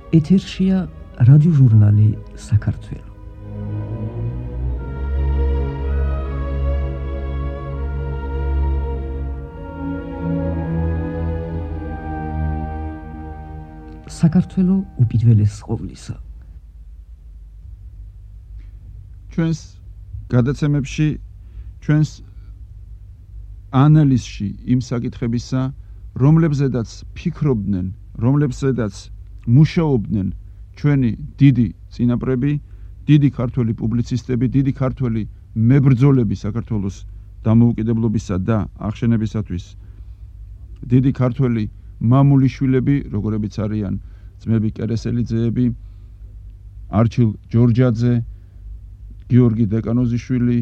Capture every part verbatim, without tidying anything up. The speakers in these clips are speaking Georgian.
ეთერშია რადიოჟურნალი საქართველო. საქართველო უპირველეს ყოვლისა. ჩვენს გადაცემებში, ჩვენს ანალიზში იმ საკითხებისა, რომლებზედაც ფიქრობდნენ, რომლებზედაც მუშაობდნენ ჩვენი დიდი წინაპრები, დიდი ქართველი პუბლიცისტები, დიდი ქართველი მებრძოლები საქართველოს დამოუკიდებლობისა და აღშენებისათვის, დიდი ქართველი მამულიშვილები, როგორებიც არიან ძმები კერესელიძეები, არჩილ ჯორჯაძე, გიორგი დეკანოზიშვილი,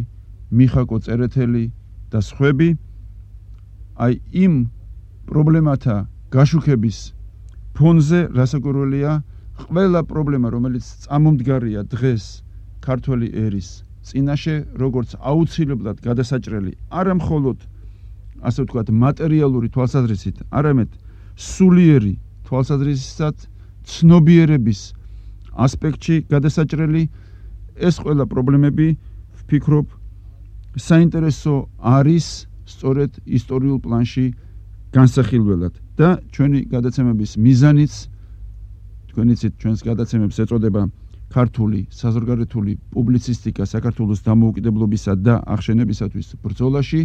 მიხაკო წერეთელი და სხვები, აი იმ პრობლემათა გაშუქების ფონზე რასაკვირველია, ყველა პრობლემა, რომელიც წამომდგარია დღეს ქართველი ერის წინაშე, როგორც აუცილებლად გადასაჭრელი, არა მხოლოდ ასე ვთქვათ, მატერიალური თვალსაზრისით, არამედ სულიერი თვალსაზრისით, ცნობიერების ასპექტში გადასაჭრელი, ეს ყველა პრობლემები, ვფიქრობ, საინტერესო არის სწორედ ისტორიულ პლანში განსახილველად და ჩვენი გადაცემების მიზანიც, თქვენიცით ჩვენს გადაცემებს ეწოდება ქართული საზღვარგარეთული პუბლიცისტიკა საქართველოს დამოუკიდებლობისა და აღშენებისათვის ბრძოლაში,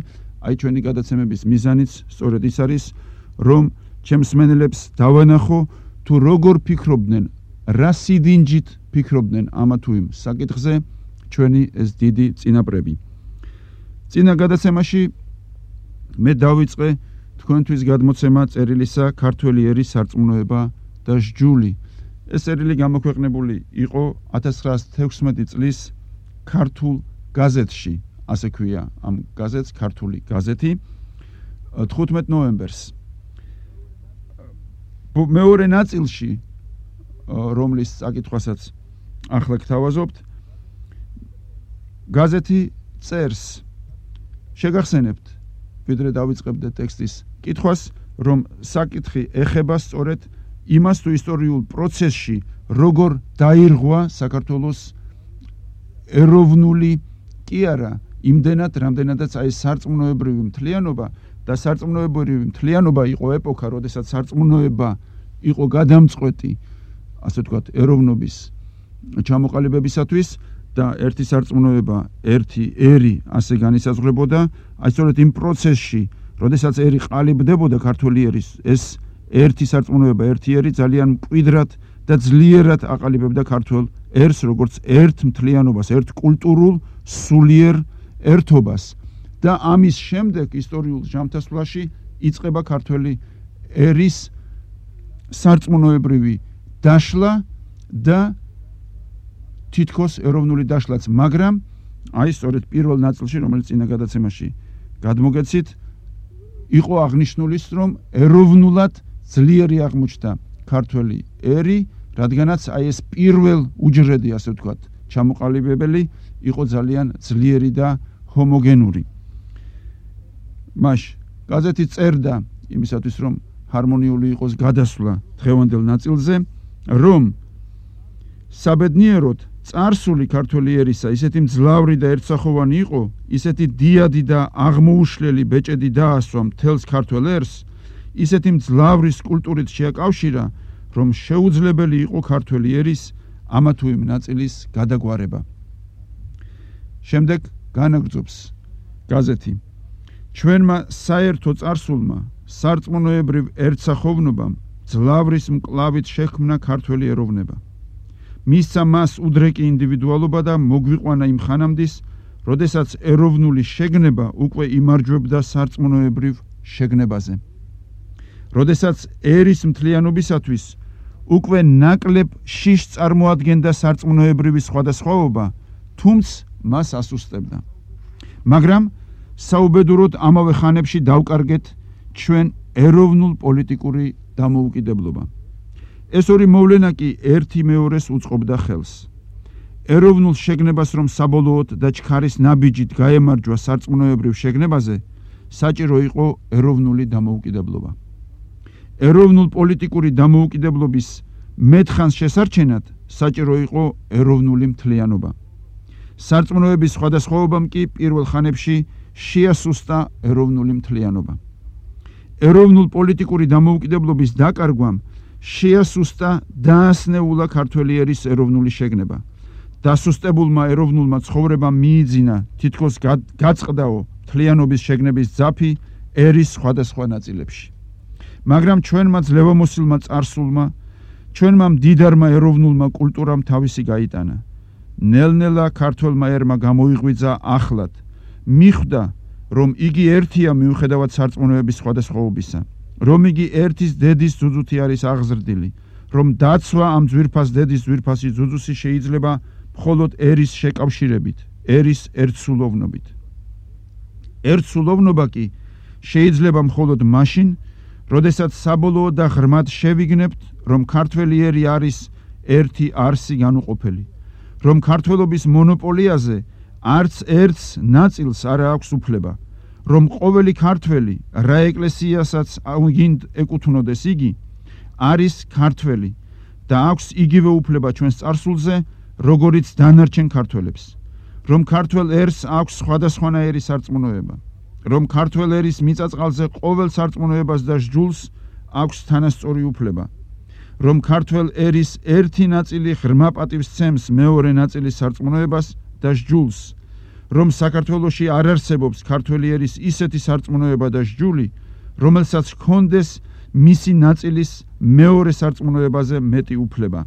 აი ჩვენი გადაცემების მიზანიც სწორედ ის არის, რომ ჩემს მსმენელებს დავანახო, თუ როგორ ფიქრობდნენ, რა სიდინჯით ფიქრობდნენ ამა თუ იმ საკითხზე ჩვენი ეს დიდი წინაპრები. წინა გადაცემაში მე დავიწყე თქვენთვის გადმოცემა წერილისა ქართველი ერის სარწმუნოება და სჯული. ეს წერილი გამოქვეყნებული იყო ათას ცხრაას თექვსმეტი წლის ქართულ გაზეთში, ასე ქვია ამ გაზეთს, ქართული გაზეთი, თხუთმეტ ნოემბერს. მეორე ნაწილში, რომლის საკითხვასაც ახლა გთავაზობთ, გაზეთი წერს, შეგახსენებთ, ვიდრე დავიწყებდე ტექსტის კითხვას, რომ საკითხი ეხება სწორედ იმას თუ ისტორიულ პროცესში, როგორ დაირღვა საქართველოს ეროვნული კი არა, იმდენად, რამდენადაც აი სარწმუნოებრივი მთლიანობა და სარწმუნოებრივი მთლიანობა იყო ეპოქა, როდესაც სარწმუნოება იყო გადამწყვეტი, ასე ვთქვათ, ეროვნობის ჩამოყალიბებისათვის და ერთი სარწმუნოება, ერთი ერი ასე განისაზღვრებოდა, აი სწორედ იმ პროცესში, როდესაც ერი ყალიბდებოდა ქართული ერის, ეს ერთი სარწმუნოება, ერთი ერი ძალიან მკვიდრად და ძლიერად აყალიბებდა ქართულ ერს, როგორც ერთ მთლიანობას, ერთ კულტურულ სულიერ ერთობას და ამის შემდეგ ისტორიულ ჟამთასვლაში იწყება ქართველი ერის სარწმუნოებრივი დაშლა და თითქოს ეროვნული დაშლაც, მაგრამ აი სწორედ პირველ ნაწილში, რომელიც წინა გადაცემაში გადმოგეცით, იყო აღნიშნული, რომ ეროვნულად ძლიერი აღმოჩნდა ქართველი ერი, რადგანაც აი ეს პირველ უჯრედი, ასე ვთქვათ, ჩამოყალიბებელი იყო ძალიან ძლიერი და ჰომოგენური. მაშ გაზეთი წერდა იმისათვის, რომ ჰარმონიული იყოს გადასვლა დღევანდელ ნაწილზე, რომ საბედნიეროდ წარსული ქართველი ერისა ისეთი მძლავრი და ერთსახოვანი იყო, ისეთი დიადი და აღმოუშლელი ბეჭედი დაასვა მთელს ქართველ ერს, ისეთი მძლავრი კულტურით შეაკავშირა, რომ შეუძლებელი იყო ქართველი ერის ამა თუ იმ ნაწილის გადაგვარება. შემდეგ განაგრძობს გაზეთი. ჩვენმა საერთო წარსულმა, სარწმუნოებრივ ერთსახოვნობამ მძლავრის მკლავით შექმნა ქართველი ეროვნება. მისცა მას უდრეკი ინდივიდუალობა და მოგვიყვანა იმ ხანამდის, როდესაც ეროვნული შეგნება უკვე იმარჯვებდა სარწმუნოებრივ შეგნებაზე. როდესაც ერის მთლიანობისათვის უკვე ნაკლებ შიშს წარმოადგენდა სარწმუნოებრივი სხვადასხვაობა, თუმცა მას ასუსტებდა. მაგრამ საუბედუროდ ამავე ხანებში დავკარგეთ ჩვენ ეროვნულ პოლიტიკური დამოუკიდებლობა. ეს ორი მოვლენა კი ერთი მეორეს უწყობდა ხელს. ეროვნულ შეგნებას რომ საბოლოოდ და ჩქარის ნაბიჯით გაემარჯვა სარწმუნოებრივ შეგნებაზე, საჭირო იყო ეროვნული დამოუკიდებლობა. ეროვნულ პოლიტიკური დამოუკიდებლობის მეთხანს შესარჩენად საჭირო იყო ეროვნული მთლიანობა. სარწმუნოების სხვადასხვაობამ კი პირველ ხანებში შეასუსტა ეროვნული მთლიანობა. ეროვნულ პოლიტიკური დამოუკიდებლობის დაკარგვამ შეასუსტა დაასნეულა ქართველი ერის ეროვნული შეგნება. დასუსტებულმა ეროვნულმა ცხოვრებამ მიიძინა თითქოს გაწყდაო მთლიანობის შეგნების ძაფი ერის სხვადასხვა ნაწილებში. მაგრამ ჩვენმა ძლევამოსილმა წარსულმა, ჩვენმა მდიდარმა ეროვნულმა კულტურამ თავისი გაიტანა. ნელ-ნელა ქართველმა ერმა გამოიღვიძა ახლად, მიხვდა, რომ იგი ერთია მიუხედავად სარწმუნოების სხვადასხვაობისა, რომ იგი ერთის დედის ძუძუთი არის აღზრდილი, რომ დაცვა ამ ძვირფას დედის ძვირფასი ძუძუსი შეიძლება მხოლოდ ერის შეკავშირებით, ერის ერთსულოვნობით. ერთსულოვნობა კი შეიძლება მხოლოდ მაშინ, როდესაც საბოლოოდ და ღრმად შევიგნებთ, რომ ქართველი ერი არის ერთი არსი განუყოფელი, რომ ქართველობის მონოპოლიაზე არც ერთს ნაწილს არ აქვს უფლება, რომ ყოველი ქართველი, რა ეკლესიასაც გინდ ეკუთვნოდეს იგი, არის ქართველი და აქვს იგივე უფლება ჩვენს წარსულზე, როგორიც დანარჩენ ქართველებს, რომ ქართველ ერს აქვს სხვადასხვანაირი სარწმუნოება, რომ ქართველ ერის მიწაწყალზე ყოველ სარწმუნოებას და სჯულს აქვს თანასწორი უფლება, რომ ქართველ ერის ერთი ნაწილი ღრმა პატივს სცემს მეორე ნაწილის სარწმუნოებას და სჯულს, რომ საქართველოში არ არსებობს ქართველი ერის ისეთი სარწმუნოება და სჯული, რომელსაც ჰქონდეს მისი ნაწილის მეორე სარწმუნოებაზე მეტი უფლება.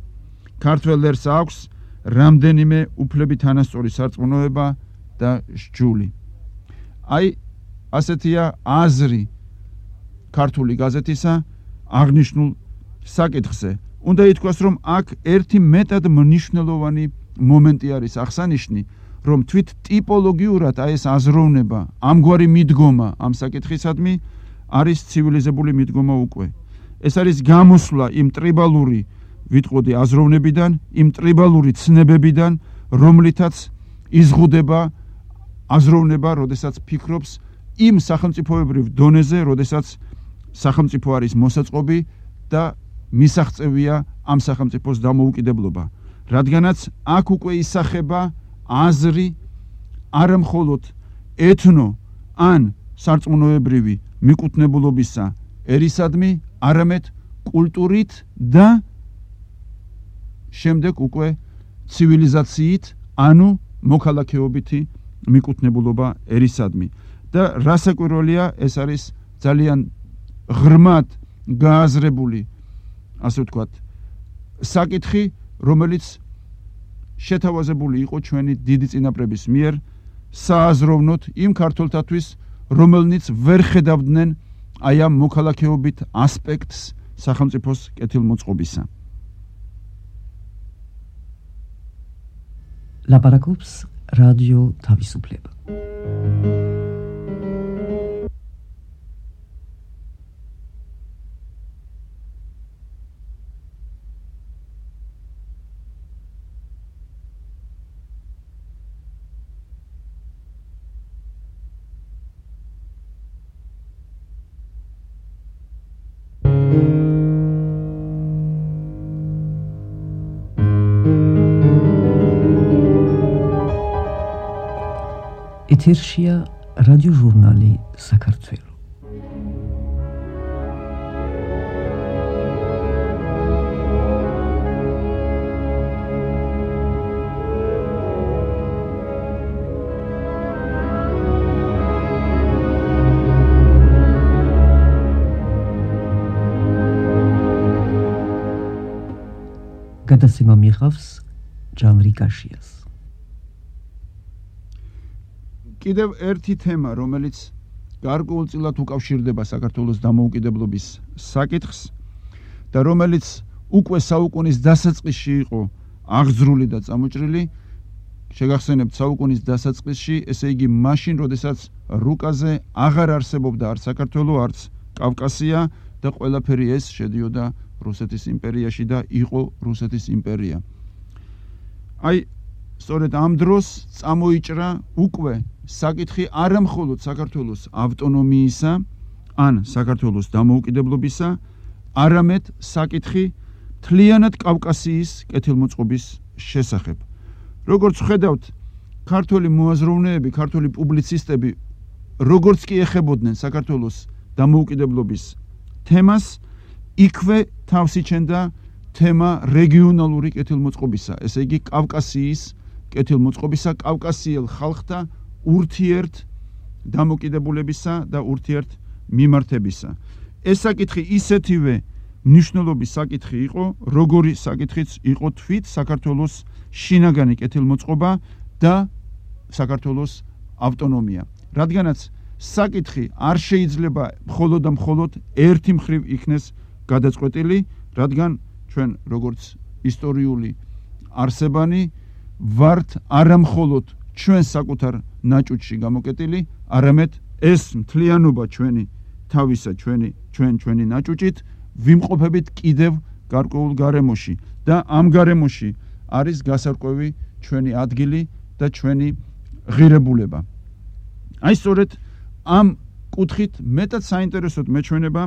ქართველ ერს აქვს რამდენიმე უფლებით თანასწორი სარწმუნოება და სჯული. აი, ასეთია აზრი ქართული გაზეთისა აღნიშნულ საკითხზე. უნდა ითქვას, რომ აქ ერთი მეტად მნიშვნელოვანი მომენტი არის აღსანიშნი, რომ თვით ტიპოლოგიურად აი ეს აზროვნება, ამგვარი მიდგომა ამ საკითხისადმი არის ცივილიზებული მიდგომა უკვე. ეს არის გამოსვლა იმ ტრიბალური, ვიტყოდი, აზროვნებიდან, იმ ტრიბალური ცნებებიდან, რომლითაც იზღუდება აზროვნება, როდესაც ფიქრობს იმ სახელმწიფოებრივ დონეზე, როდესაც სახელმწიფო არის მოსაწყობი და მისაღწევია ამ სახელმწიფოს დამოუკიდებლობა. რადგანაც აქ უკვე ისახება აზრი არა მხოლოდ ეთნო ან სარწმუნოებრივი მიკუთვნებულობისა ერისადმი, არამედ კულტურით და შემდეგ უკვე ცივილიზაციით, ანუ მოქალაქეობითი მიკუთვნებულობა ერისადმი. და რასაკვირველია, ეს არის ძალიან ღრმად გააზრებული, ასე ვთქვათ, საკითხი, რომელიც შეთავაზებული იყო ჩვენი დიდი წინაპრების მიერ სააზროვნოთ იმ ქართველთათვის, რომელნიც ვერ ხედავდნენ აი ამ მოქალაქეობით ასპექტს სახელმწიფოს კეთილმოწყობისა. ლაპარაკობს რადიო თავისუფლება. ეთერშია რადიოჟურნალი საქართველო. გადაცემა მიიღავს ჟანრი კაშიას. კიდევ ერთი თემა, რომელიც გარკვეულწილად უკავშირდება საქართველოს დამოუკიდებლობის საკითხს და რომელიც უკვე საუკუნის დასაწყისში იყო აღძრული და წამოჭრილი, შეგახსენებთ, საუკუნის დასაწყისში, ესე იგი მაშინ, როდესაც რუკაზე აღარ არსებობდა არც საქართველო, არც კავკასია და ყველაფერი ეს შედიოდა რუსეთის იმპერიაში და იყო რუსეთის იმპერია. აი, სწორედ ამ დროს წამოიჭრა უკვე საკითხი არა მხოლოდ საქართველოს ავტონომიისა ან საქართველოს დამოუკიდებლობისა, არამედ საკითხი მთლიანად კავკასიის კეთილმოწყობის შესახებ. როგორც ხედავთ, ქართველი მოაზროვნეები, ქართველი პუბლიცისტები როგორც კი ეხებოდნენ საქართველოს დამოუკიდებლობის თემას, იქვე თავს იჩენდა თემა რეგიონალური კეთილმოწყობისა, ესე იგი კავკასიის კეთილმოწყობისა, კავკასიელ ხალხთა ურთიერთ დამოკიდებულებისა და ურთიერთ მიმართებისა. ეს საკითხი ისეთივე მნიშვნელობის საკითხი იყო, როგორი საკითხიც იყო თვით საქართველოს შინაგანი კეთილმოწყობა და საქართველოს ავტონომია. რადგანაც საკითხი არ შეიძლება მხოლოდ და მხოლოდ ერთი მხრივ იქნეს გადაწყვეტილი, რადგან ჩვენ როგორც ისტორიული არსებანი ვართ არა მხოლოდ ჩვენ საკუთარ ნაჭუჭში გამოკეტილი, არამედ ეს მთლიანობა ჩვენი თავისა ჩვენი ჩვენ ჩვენი ნაჭუჭით ვიმყოფებით კიდევ გარკვეულ გარემოში და ამ გარემოში არის გასარკვევი ჩვენი ადგილი და ჩვენი ღირებულება. აი სწორედ ამ კუთხით მეტად საინტერესოდ მეჩვენება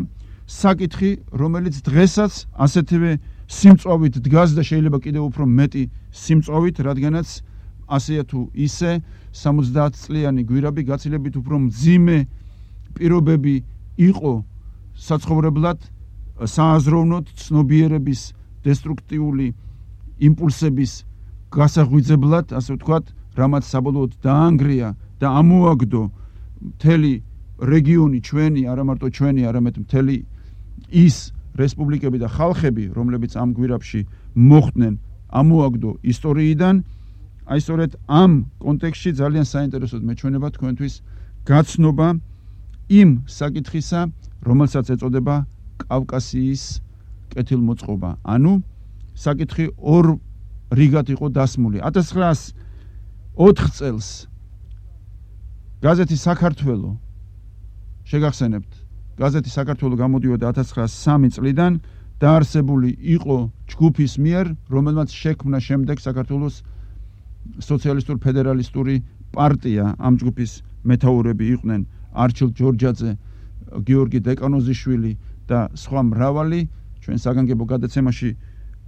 საკითხი, რომელიც დღესაც ასეთივე სიმწვავით დგას და შეიძლება კიდევ უფრო მეტი სიმწვავით, რადგანაც ასეა თუ ისე სამოცდაათ წლიანი გვირაბი გაცილებით უფრო მძიმე პირობები იყო საცხოვრებლად, სააზროვნოდ, ცნობიერების დესტრუქტიული იმპულსების გასაღვიძებლად, ასე ვთქვათ, რამაც საბოლოოდ დაანგრია და ამოაგდო მთელი რეგიონი ჩვენი, არა მარტო ჩვენი, არამედ მთელი ის რესპუბლიკები და ხალხები, რომლებიც ამ გვირაბში მოხვდნენ, ამოაგდო ისტორიიდან. აი სწორედ ამ კონტექსტში ძალიან საინტერესოდ მეჩვენება თქვენთვის გაცნობა იმ საკითხისა, რომელსაც ეწოდება კავკასიის კეთილმოწყობა. ანუ საკითხი ორ რიგად იყო დასმული. ათას ცხრაას ოთხ წელს გაზეთი საქართველო შეგახსენებთ, გაზეთი საქართველო გამოდიოდა ათას ცხრაას სამი წლიდან, დაარსებული იყო ჯგუფის მიერ, რომელმაც შექმნა შემდეგ საქართველოს სოციალისტურ ფედერალისტური პარტია. ამ ჯგუფის მეთაურები იყვნენ არჩილ ჯორჯაძე, გიორგი დეკანოზიშვილი და სხვა მრავალი. ჩვენ საგანგებო გადაცემაში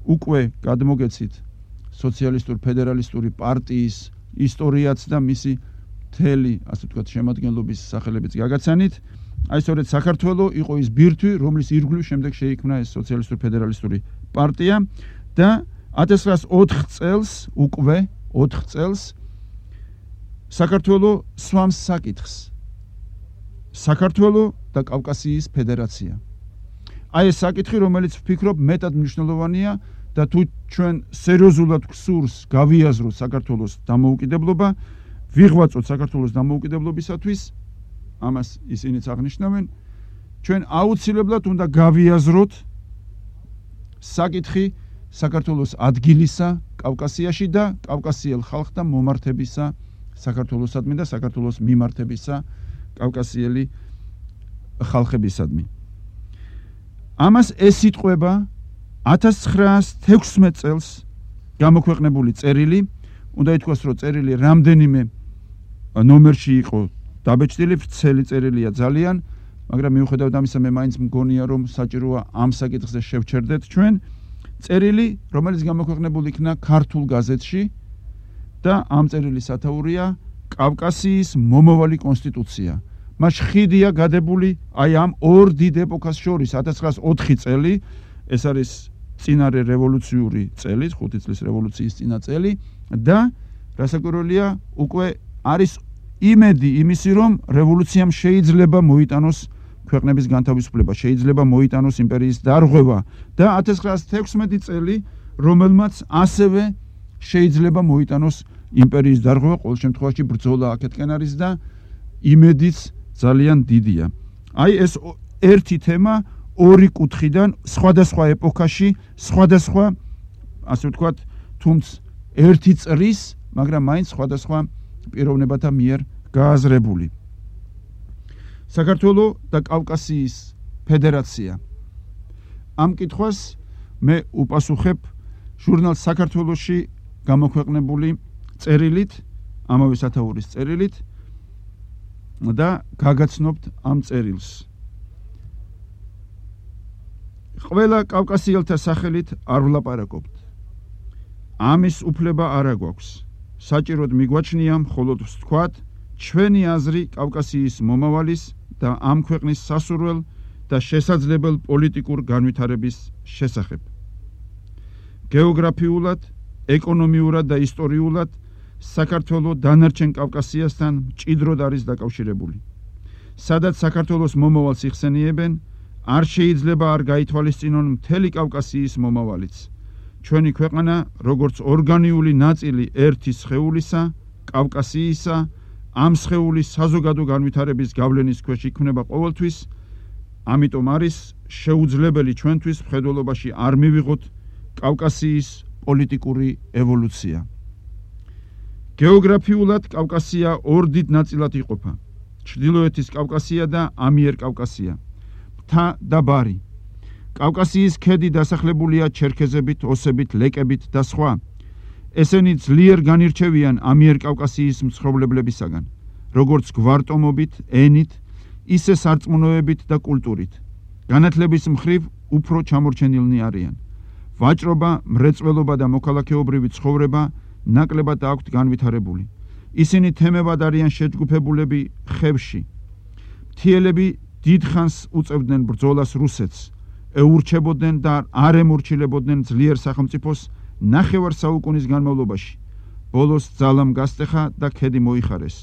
უკვე გადმოგეცით სოციალისტურ ფედერალისტური პარტიის ისტორიაც და მისი მთელი, ასე ვთქვათ, შემადგენლობის სახელებიც გაგაცანით. აი სწორედ საქართველო იყო ის ბირთვი, რომლის ირგვლივ შემდეგ შეიქმნა ეს სოციალისტურ ფედერალისტური პარტია და ათას ცხრაას ოთხ წელს უკვე ოთხ წელს საქართველო სვამს საკითხს. საქართველო და კავკასიის ფედერაცია. აი ეს საკითხი, რომელიც ვფიქრობ მეტად მნიშვნელოვანია და თუ ჩვენ სერიოზულად გვსურს გავიაზროთ საქართველოს დამოუკიდებლობა, ვიღვაწოთ საქართველოს დამოუკიდებლობისათვის, ამას ისინიც აღნიშნავენ, ჩვენ აუცილებლად უნდა გავიაზროთ საკითხი საქართველოს ადგილისა კავკასიაში და კავკასიელ ხალხთა მომართებისა საქართველოსადმი და საქართველოს მიმართებისა კავკასიელი ხალხებისადმი. ამას ეს იტყვება ათას ცხრაას თექვსმეტ წელს გამოქვეყნებული წერილი, უნდა ითქვას, რომ წერილი რამდენიმე ნომერში იყო დაბეჭდილი, ვრცელი წერილია ძალიან, მაგრამ მიუხედავად ამისა მე მაინც მგონია, რომ საჭიროა ამ საკითხზე შევჩერდეთ ჩვენ. წერილი, რომელიც გამოქვეყნებული იქნა ქართულ გაზეთში და ამ წერილის სათაურია კავკასიის მომავალი კონსტიტუცია. მას ხიდია გადებული აი ამ ორ დიდ ეპოქას შორის, ათას ცხრაას ოთხი წელი, ეს არის წინარე რევოლუციური წელი, ხუთი წლის რევოლუციის წინა წელი და რასაკვირველია, უკვე არის იმედი იმისი, რომ რევოლუციამ შეიძლება მოიტანოს ქვეყნების განთავისუფლება, შეიძლება მოიტანოს იმპერიის დარღვევა და ათას ცხრაას თექვსმეტი წელი, რომელმაც ასევე შეიძლება მოიტანოს იმპერიის დარღვევა, ყოველ შემთხვევაში ბრძოლა აქეთკენ არის და იმედიც ძალიან დიდია. აი ეს ერთი თემა ორი კუთხიდან სხვადასხვა ეპოქაში, სხვადასხვა, ასე ვთქვათ, თუმც ერთი წრის, მაგრამ მაინც სხვადასხვა პიროვნებათა მიერ გააზრებული. საქართველო და კავკასიის ფედერაცია. ამ კითხვას მე უპასუხებ ჟურნალ საქართველოში გამოქვეყნებული წერილით, ამავე სათაურის წერილით და გაგაცნობთ ამ წერილს. ყველა კავკასიელთა სახელით არ ვლაპარაკობთ. ამის უფლება არ აგვაქვს. საჭიროდ მიგვაჩნია მხოლოდ ვთქვათ ჩვენი აზრი კავკასიის მომავალის და ამ ქვეყნის სასურველ და შესაძლებელ პოლიტიკურ განვითარების შესახებ. გეოგრაფიულად, ეკონომიურად და ისტორიულად საქართველო დანარჩენ კავკასიასთან მჭიდროდ არის დაკავშირებული. სადაც საქართველოს მომავალს იხსენიებენ, არ შეიძლება არ გაითვალისწინონ მთელი კავკასიის მომავალიც. ჩვენი ქვეყანა, როგორც ორგანიული ნაწილი ერთი სხეულისა, კავკასიისა, ამ სხეულის საზოგადო განვითარების გავლენის ქვეშ იქმნება ყოველთვის, ამიტომ არის შეუძლებელი ჩვენთვის მხედველობაში არ მივიღოთ კავკასიის პოლიტიკური ევოლუცია. გეოგრაფიულად კავკასია ორ დიდ ნაწილად იყოფა. ჩრდილოეთის კავკასია და ამიერკავკასია. მთა და ბარი. კავკასიის ქედი დასახლებულია ჩერქეზებით, ოსებით, ლეკებით და სხვა. ესენი ძლიერ განირჩევიან ამიერკავკასიის მცხოვრებლებისაგან, როგორც გვარტომობით, ენით, ისე სარწმუნოებით და კულტურით. განათლების მხრივ უფრო ჩამორჩენილნი არიან. ვაჭრობა, მრეწველობა და მოქალაქეობრივი ცხოვრება ნაკლებად აქვთ განვითარებული. ისინი თემებად არიან შეჯგუფებულები ხევში. მთიელები დიდხანს უწევდნენ ბრძოლას რუსეთს, ეურჩებოდნენ და არ ემორჩილებოდნენ ძლიერ სახელმწიფოს ნახევარ საუკუნის განმავლობაში. ბოლოს ძალამ გასტეხა და ქედი მოიხარეს.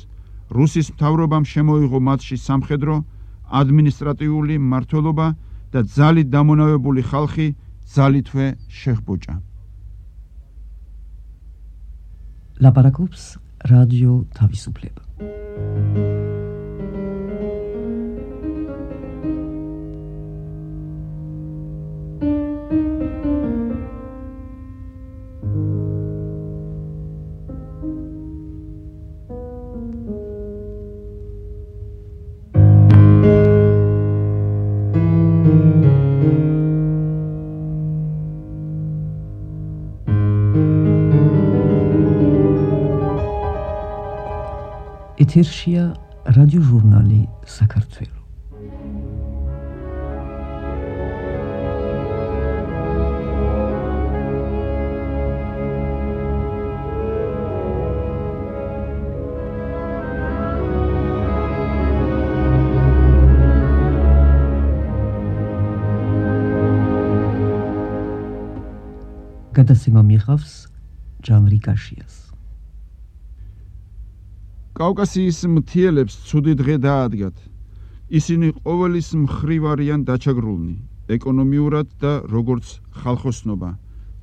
რუსის მთავრობამ შემოიღო მათში სამხედრო, ადმინისტრატიული მმართველობა და ძალით დამონავებული ხალხი ძალითვე შეჰბოჭა. ლაპარაკობს რადიო თავისუფლება. ეთერშია რადიოჟურნალი საქართველო. გადაცემა მიიღავს ჯანრი კაშიას. კავკასიის მთიელებს ცუდი დღე დაადგათ. ისინი ყოველის მხრივ არიან დაჩაგრულნი, ეკონომიურად და როგორც ხალხოსნობა.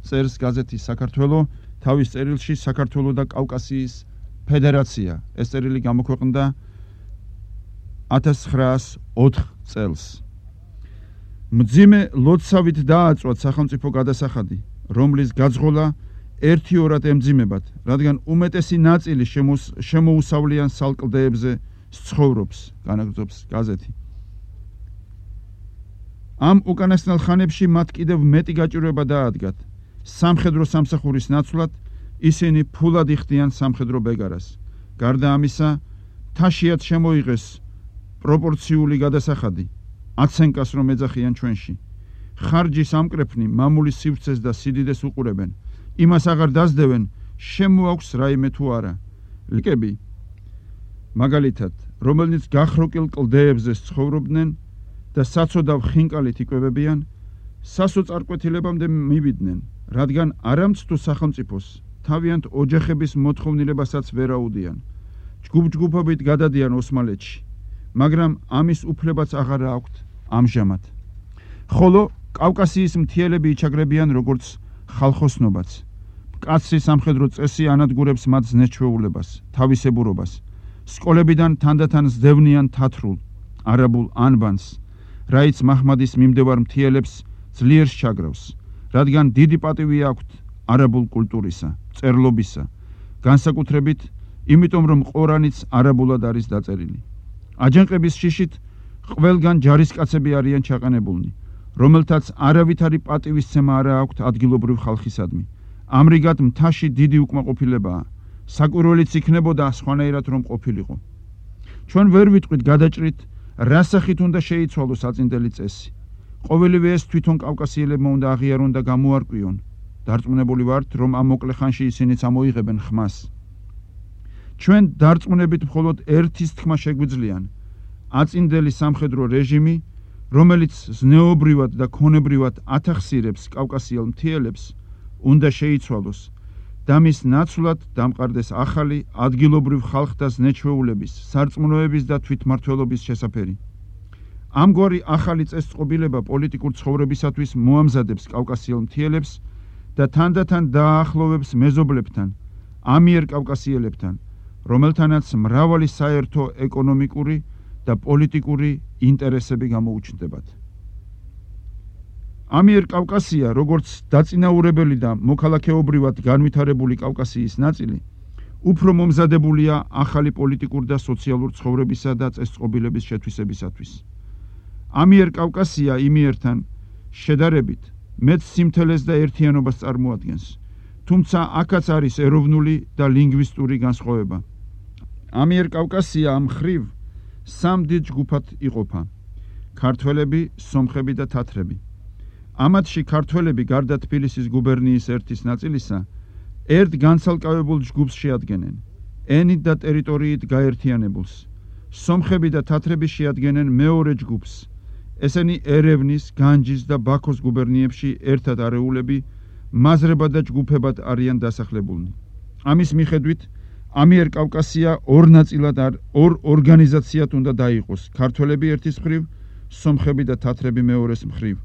წერს გაზეთი საქართველო თავის წერილში საქართველო და კავკასიის ფედერაცია. ეს წერილი გამოქვეყნდა ათას ცხრაას ოთხ წელს. მძიმე ლოცავით დააწვათ სახელმწიფო გადასახადი, რომლის გაძღოლა ერთიორად ემძიმებათ, რადგან უმეტესი ნაწილი შემოუსავლიან სალკლდეებზე ცხოვრობს, განაგრძობს გაზეთი. ამ უკანასკნელ ხანებში მათ კიდევ მეტი გაჭირვება დაადგათ. სამხედრო სამსახურის ნაცვლად ისინი ფულად იხდიან სამხედრო ბეგარას. გარდა ამისა, მთაშიათ შემოიღეს პროპორციული გადასახადი, აცენკას რომ ეძახიან ჩვენში. ხარჯის ამკრეფნი მამულის სივრცეს და სიდიდეს უყურებენ. იმას აღარ დაძდევენ, შემოაქვს რაიმე თუ არა. ლიკები, მაგალითად, რომელნიც გახროკილ კლდეებზე ცხოვრობდნენ და საცოდავ ხინკალით იკვებებიან, სასოწარკვეთილებამდე მივიდნენ, რადგან არამცდუ სახელმწიფოს თავიანთ ოჯახების მოთხოვნილებასაც ვერაუდიან. ჯგუფ-ჯგუფობით გადადიან ოსმალეთში, მაგრამ ამის უფლებაც აღარ აქვთ ამჟამად. ხოლო კავკასიის მთიელები იჩაგრებიან როგორც ხალხოსნობაც. მკაცრი სამხედრო წესი ანადგურებს მათ ზნეჩვეულებას, თავისებურობას. სკოლებიდან თანდათან ზდევნიან თათრულ, არაბულ ანბანს, რაიც მაჰმადის მიმდევარ მთიელებს ძლიერ სჩაგრავს, რადგან დიდი პატივი აქვთ არაბულ კულტურისა, წერლობისა, განსაკუთრებით იმიტომ რომ ყორანიც არაბულად არის დაწერილი. აჯანყების შიშით ყველგან ჯარისკაცები არიან ჩაყენებულნი, რომელთაც არავითარი პატივისცემა არ აქვთ ადგილობრივ ხალხისადმი. ამრიგად მთაში დიდი უკმაყოფილებაა. საკვირველიც იქნებოდა სხვანაირად რომ ყოფილიყო. ჩვენ ვერ ვიტყვით გადაჭრით, რა სახით უნდა შეიცვალოს აწინდელი წესი. ყოველივე ეს თვითონ კავკასიელებმა უნდა აღიარონ და გამოარკვიონ. დარწმუნებული ვართ, რომ ამ მოკლე ხანში ისინიც ამოიღებენ ხმას. ჩვენ დარწმუნებით მხოლოდ ერთის თქმა შეგვიძლიან: აწინდელი სამხედრო რეჟიმი, რომელიც ზნეობრივად და ქონებრივად ათახსირებს კავკასიელ მთიელებს, უნდა შეიცვალოს და მის ნაცვლად დამყარდეს ახალი ადგილობრივ ხალხთა ზნეჩვეულების, სარწმუნოების და თვითმმართველობის შესაფერი. ამგვარი ახალი წესწყობილება პოლიტიკურ ცხოვრებისათვის მოამზადებს კავკასიელ მთიელებს და თანდათან დააახლოვებს მეზობლებთან, ამიერ კავკასიელებთან, რომელთანაც მრავალი საერთო ეკონომიკური და პოლიტიკური ინტერესები გამოუჩნდებათ. ამიერ კავკასია, როგორც დაწინაურებელი და მოქალაქეობრივად განვითარებული კავკასიის ნაწილი, უფრო მომზადებულია ახალი პოლიტიკურ და სოციალურ ცხოვრებისა და წესწყობილების შეთვისებისათვის. ამიერ კავკასია იმიერთან შედარებით მეც სიმთელეს და ერთიანობას წარმოადგენს, თუმცა აქაც არის ეროვნული და ლინგვისტური განსხვავება. ამიერ კავკასია ამ ხრივ სამ დიდ ჯგუფად იყოფა: ქართველები, სომხები და თათრები. ამათში ქართველები გარდა თბილისის გუბერნიის ერთის ნაწილისა ერთ განცალკევებულ ჯგუფს შეადგენენ, ენით და ტერიტორიით გაერთიანებულს. სომხები და თათრები შეადგენენ მეორე ჯგუფს. ესენი ერევნის, განჯის და ბაქოს გუბერნიებში ერთად არეულები, მაზრებად და ჯგუფებად არიან დასახლებულნი. ამის მიხედვით ამიერ კავკასია ორ ნაწილად არ ორ ორგანიზაციად უნდა დაიყოს: ქართველები ერთის მხრივ, სომხები და თათრები მეორეს მხრივ.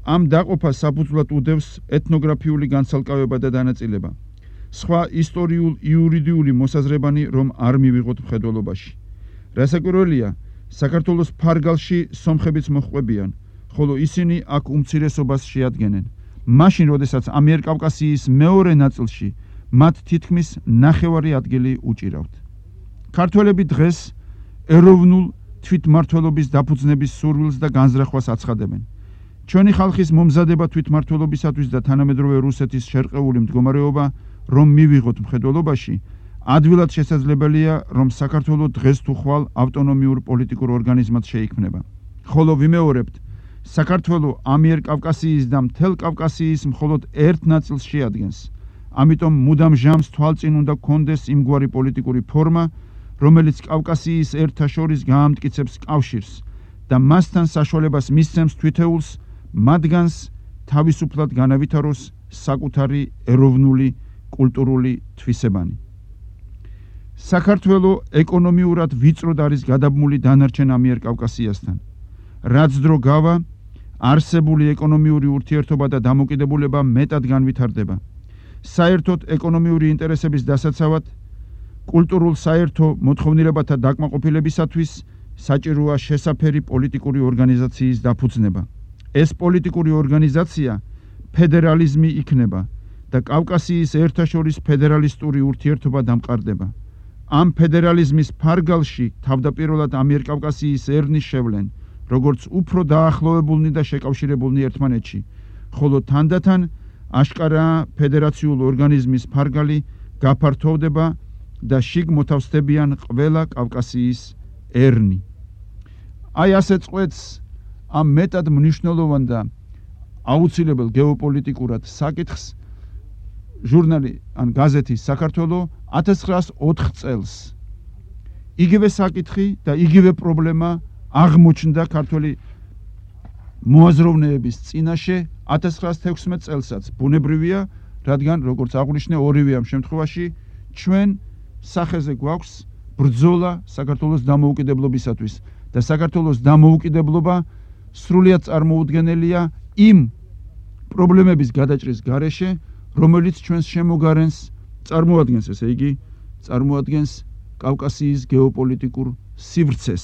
ამ დაყოფას საფუძვლად უდევს ეთნოგრაფიული განცალკევება და დანაწილება. სხვა ისტორიულ-იურიდიული მოსაზრებანი რომ არ მივიღოთ მხედველობაში. რასაკვირველია, საქართველოს ფარგალში სომხებიც მოჰყვებიან, ხოლო ისინი აქ უმცირესობას შეადგენენ. მაშინ, როდესაც ამიერ კავკასიის მეორე ნაწილში მათ თითქმის ნახევარი ადგილი უჭირავთ. ქართველები დღეს ეროვნულ თვითმმართველობის დაფუძნების სურვილს და განზრახვას აცხადებენ. ჩვენი ხალხის მომზადება თვითმმართველობისათვის და თანამედროვე რუსეთის შერყეული მდგომარეობა რომ მივიღოთ მხედველობაში, ადვილად შესაძლებელია, რომ საქართველო დღეს თუ ხვალ ავტონომიურ პოლიტიკურ ორგანიზმად შეიქმნება. ხოლო ვიმეორებთ, საქართველო ამიერ კავკასიის და მთელ კავკასიის მხოლოდ ერთ ნაწილს შეადგენს. ამიტომ მუდამ ჟამს თვალწინ უნდა გქონდეს იმგვარი პოლიტიკური ფორმა, რომელიც კავკასიის ერთა შორის გაამტკიცებს კავშირს და მასთან საშუალებას მისცემს თვითეულს მათგანს თავისუფლად განავითაროს საკუთარი ეროვნული კულტურული თვისებანი. საქართველო ეკონომიურად ვიწროდ არის გადაბმული დანარჩენ ამიერ კავკასიასთან. რაც დრო გავა, არსებული ეკონომიური ურთიერთობა და დამოკიდებულება მეტად განვითარდება. საერთოდ ეკონომიური ინტერესების დასაცავად, კულტურულ საერთო მოთხოვნილებათა დაკმაყოფილებისათვის საჭიროა შესაფერი პოლიტიკური ორგანიზაციის დაფუძნება. ეს პოლიტიკური ორგანიზაცია ფედერალიზმი იქნება და კავკასიის ერთაშორის ფედერალისტური ურთიერთობა დამყარდება. ამ ფედერალიზმის ფარგალში თავდაპირველად ამიერ კავკასიის ერნის შევლენ, როგორც უფრო დაახლოვებულნი და შეკავშირებულნი ერთმანეთში, ხოლო თანდათან აშკარაა ფედერაციულ ორგანიზმის ფარგალი გაფართოვდება და შიგ მოთავსდებიან ყველა კავკასიის ერნი. აი ასე წყვეტს ამ მეტად მნიშვნელოვან და აუცილებელ გეოპოლიტიკურად საკითხს ჟურნალი ან გაზეთი საქართველო ათას ცხრაას ოთხ წელს. იგივე საკითხი და იგივე პრობლემა აღმოჩნდა ქართველი მოაზროვნეების წინაშე ათას ცხრაას თექვსმეტ წელსაც. ბუნებრივია, რადგან როგორც აღვნიშნე, ორივე ამ შემთხვევაში ჩვენ სახეზე გვაქვს ბრძოლა საქართველოს დამოუკიდებლობისათვის და საქართველოს დამოუკიდებლობა სრულიად წარმოუდგენელია იმ პრობლემების გადაჭრის გარეშე, რომელიც ჩვენს შემოგარენს წარმოადგენს, ესე იგი, წარმოადგენს კავკასიის გეოპოლიტიკურ სივრცეს.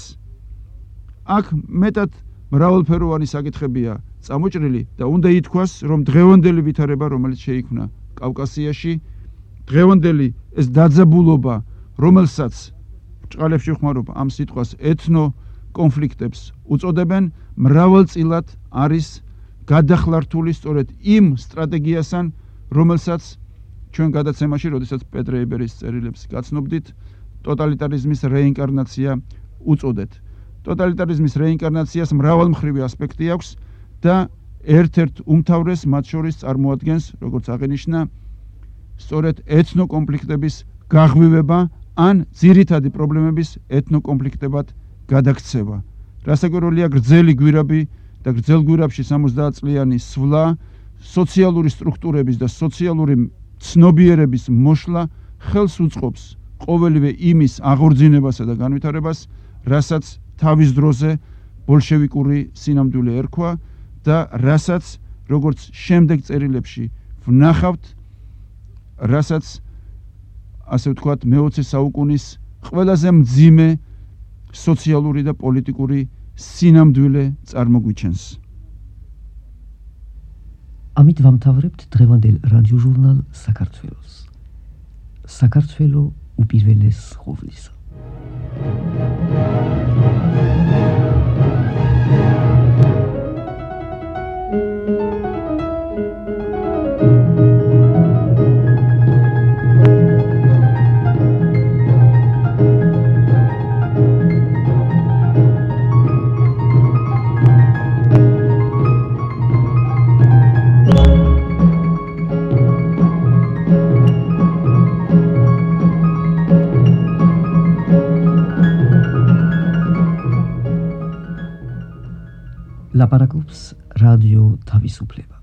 აქ მეტად მრავალფეროვანი საკითხებია წამოჭრილი და უნდა ითქვას, რომ დღევანდელი ვითარება, რომელიც შეიქმნა კავკასიაში, დღევანდელი ეს დაძაბულობა, რომელსაც ბრჭყალებში ვხმარობ ამ სიტყვას ეთნო კონფლიქტებს უწოდებენ, მრავალწილად არის გადახლართული სწორედ იმ სტრატეგიასთან, რომელსაც ჩვენ გადაცემაში, როდესაც პეტრე იბერის წერილებს გაცნობდით, ტოტალიტარიზმის რეინკარნაცია უწოდეთ. ტოტალიტარიზმის რეინკარნაციას მრავალმხრივი ასპექტი აქვს და ერთ-ერთ უმთავრეს მათ შორის წარმოადგენს, როგორც აღინიშნა, სწორედ ეთნოკონფლიქტების გაღვივება ან ძირითადი პრობლემების ეთნოკონფლიქტებად გადაქცევა. რასაკვირველია, გრძელი გვირაბი და გრძელ გვირაბში სამოცდაათ წლიანი სვლა, სოციალური სტრუქტურების და სოციალური ცნობიერების მოშლა ხელს უწყობს ყოველივე იმის აღორძინებასა და განვითარებას, რასაც თავის დროზე ბოლშევიკური სინამდვილე ერქვა და რასაც როგორც შემდეგ წერილებში ვნახავთ, რასაც ასე ვთქვათ მეოცე საუკუნის ყველაზე მძიმე სოციალური და პოლიტიკური სინამდვილე წარმოგვიჩენს. ამით ვამთავრებთ დღევანდელ რადიოჟურნალ საქართველოს. საქართველო უპირველეს ხოვლისა. ლაპარაკობს რადიო თავისუფლება.